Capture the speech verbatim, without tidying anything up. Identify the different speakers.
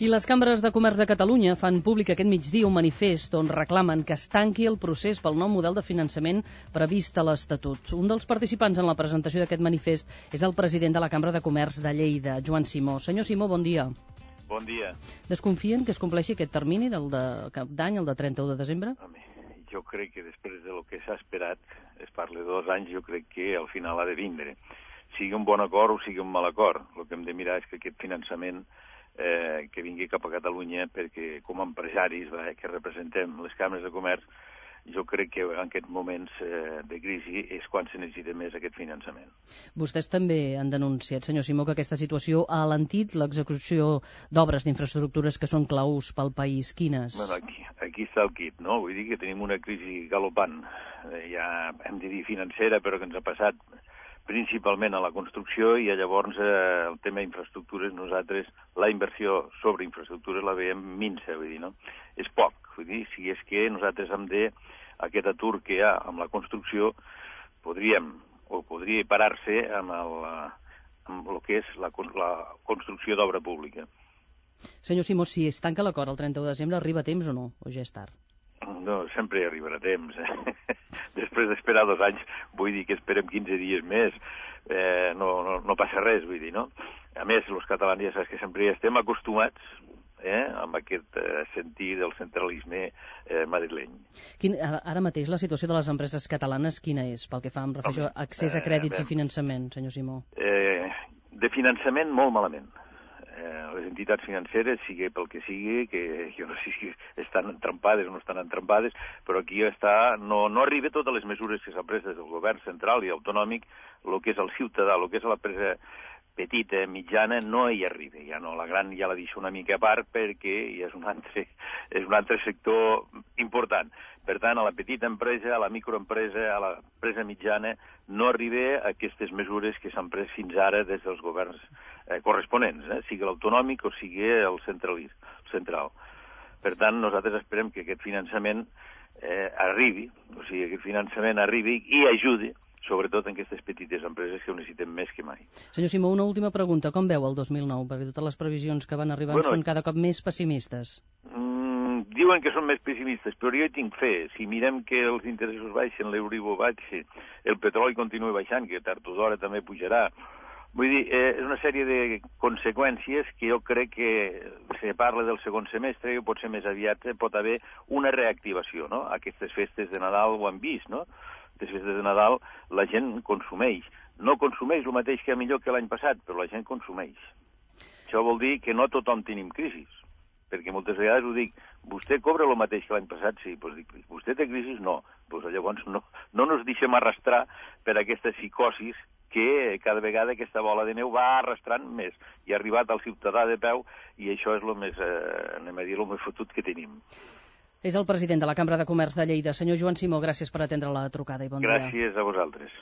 Speaker 1: I les cambres de comerç de Catalunya fan públic aquest migdia un manifest on reclamen que es tanqui el procés pel nou model de finançament previst a l'Estatut. Un dels participants en la presentació d'aquest manifest és el president de la Cambra de Comerç de Lleida, Joan Simó. Senyor Simó, bon dia.
Speaker 2: Bon dia.
Speaker 1: Desconfien que es compleixi aquest termini del de cap d'any, el de trenta-u de desembre?
Speaker 2: Home, jo crec que després de lo que s'ha esperat, es parla de dos anys, jo crec que al final ha de vindre. Sigui un bon acord o sigui un mal acord. El que hem de mirar és que aquest finançament Eh, que vingui cap a Catalunya, perquè com a empresaris va, eh, que representem les cambres de comerç, jo crec que en aquests moments eh, de crisi és quan se necessita més aquest finançament.
Speaker 1: Vostès també han denunciat, senyor Simó, que aquesta situació ha alentit l'execució d'obres d'infraestructures que són claus pel país. Quines?
Speaker 2: Bueno, aquí, aquí està el kit, no? Vull dir que tenim una crisi galopant, eh, ja hem de dir financera, però que ens ha passat principalment a la construcció, i llavors eh, el tema d'infraestructures, nosaltres la inversió sobre infraestructures la veiem minsa, vull dir, no? És poc, vull dir, si és que nosaltres hem de, aquest atur que hi ha amb la construcció, podríem, o podria parar-se amb, el, amb el que és la, la construcció d'obra pública.
Speaker 1: Senyor Simó, si es tanca l'acord el trenta-u de desembre, arriba a temps o no? O ja és tard?
Speaker 2: No, sempre arribarà a temps. Eh? Després d'esperar dos anys, vull dir que esperem quinze dies més, eh, no, no, no passa res, vull dir, no? A més, els catalans ja saps que sempre estem acostumats eh, amb aquest eh, sentir del centralisme eh, madrileny.
Speaker 1: Quin, ara mateix la situació de les empreses catalanes quina és, pel que fa, em refereixo a accés a crèdits eh, i finançament, senyor Simó?
Speaker 2: Eh, de finançament, molt malament. Les entitats financeres, sigui pel que sigui, que jo no sé si estan entrampades o no estan entrampades, però aquí està, no, no arriba totes les mesures que s'han pres des del govern central i autonòmic, el que és el ciutadà, el que és l'empresa petita, mitjana, no hi arriba. Ja no, la gran ja la deixo una mica a part perquè ja és un altre, és un altre sector important. Per tant, a la petita empresa, a la microempresa, a l'empresa mitjana, no arriba a aquestes mesures que s'han pres fins ara des dels governs eh, corresponents, eh, sigui l'autonòmic o sigui el central. Per tant, nosaltres esperem que aquest finançament eh, arribi, o sigui, que aquest finançament arribi i ajudi sobretot en aquestes petites empreses que ho necessiten més que mai.
Speaker 1: Senyor Simó, una última pregunta. Com veu el dos mil nou? Perquè totes les previsions que van arribant bueno, són cada cop més pessimistes.
Speaker 2: Mm, diuen que són més pessimistes, però jo hi tinc fe. Si mirem que els interessos baixen, l'Euribor baixa, el petroli continua baixant, que tard o d'hora també pujarà. Vull dir, eh, és una sèrie de conseqüències que jo crec que se parla del segon semestre, que pot ser més aviat, pot haver una reactivació, no? Aquestes festes de Nadal ho hem vist, no? Les festes de Nadal la gent consumeix. No consumeix el mateix que millor que l'any passat, però la gent consumeix. Això vol dir que no tothom tenim crisis, perquè moltes vegades ho dic, vostè cobra el mateix que l'any passat? Sí, doncs dic, vostè té crisis? No. Doncs llavors no, no nos deixem arrastrar per aquesta psicosis que cada vegada aquesta bola de neu va arrastrant més i ha arribat al ciutadà de peu, i això és el més, eh, anem a dir, el més fotut que tenim.
Speaker 1: És el president de la Cambra de Comerç de Lleida. Senyor Joan Simó, gràcies per atendre la trucada i bon dia.
Speaker 2: Gràcies a vosaltres.